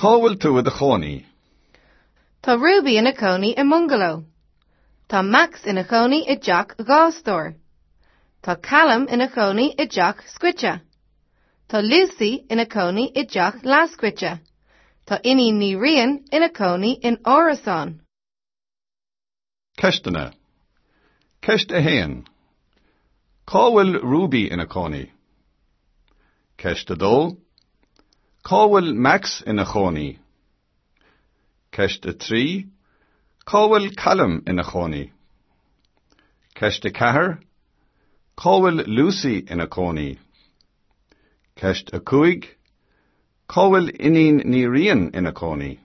Cá bhfuil tú i do chónaí? Tá Ruby ina cónaí i mbungaló. Tá Max ina chónaí i dteach 2 stór. Tá Callum ina chónaí i dteach scoite. Tá Lucy ina cónaí i dteach leathscoite. Tá Iníon Ní Riain ina cónaí in árasán. Ceisteanna. Ceist 1. Cá bhfuil Ruby ina cónaí? Ceist 2. Cá bhfuil Max ina chónaí? Ceist 3. Cá bhfuil Callum ina chónaí? Ceist 4. Cá bhfuil Lucy ina cónaí? Ceist 5. Cá bhfuil Iníon Ní Riain ina cónaí?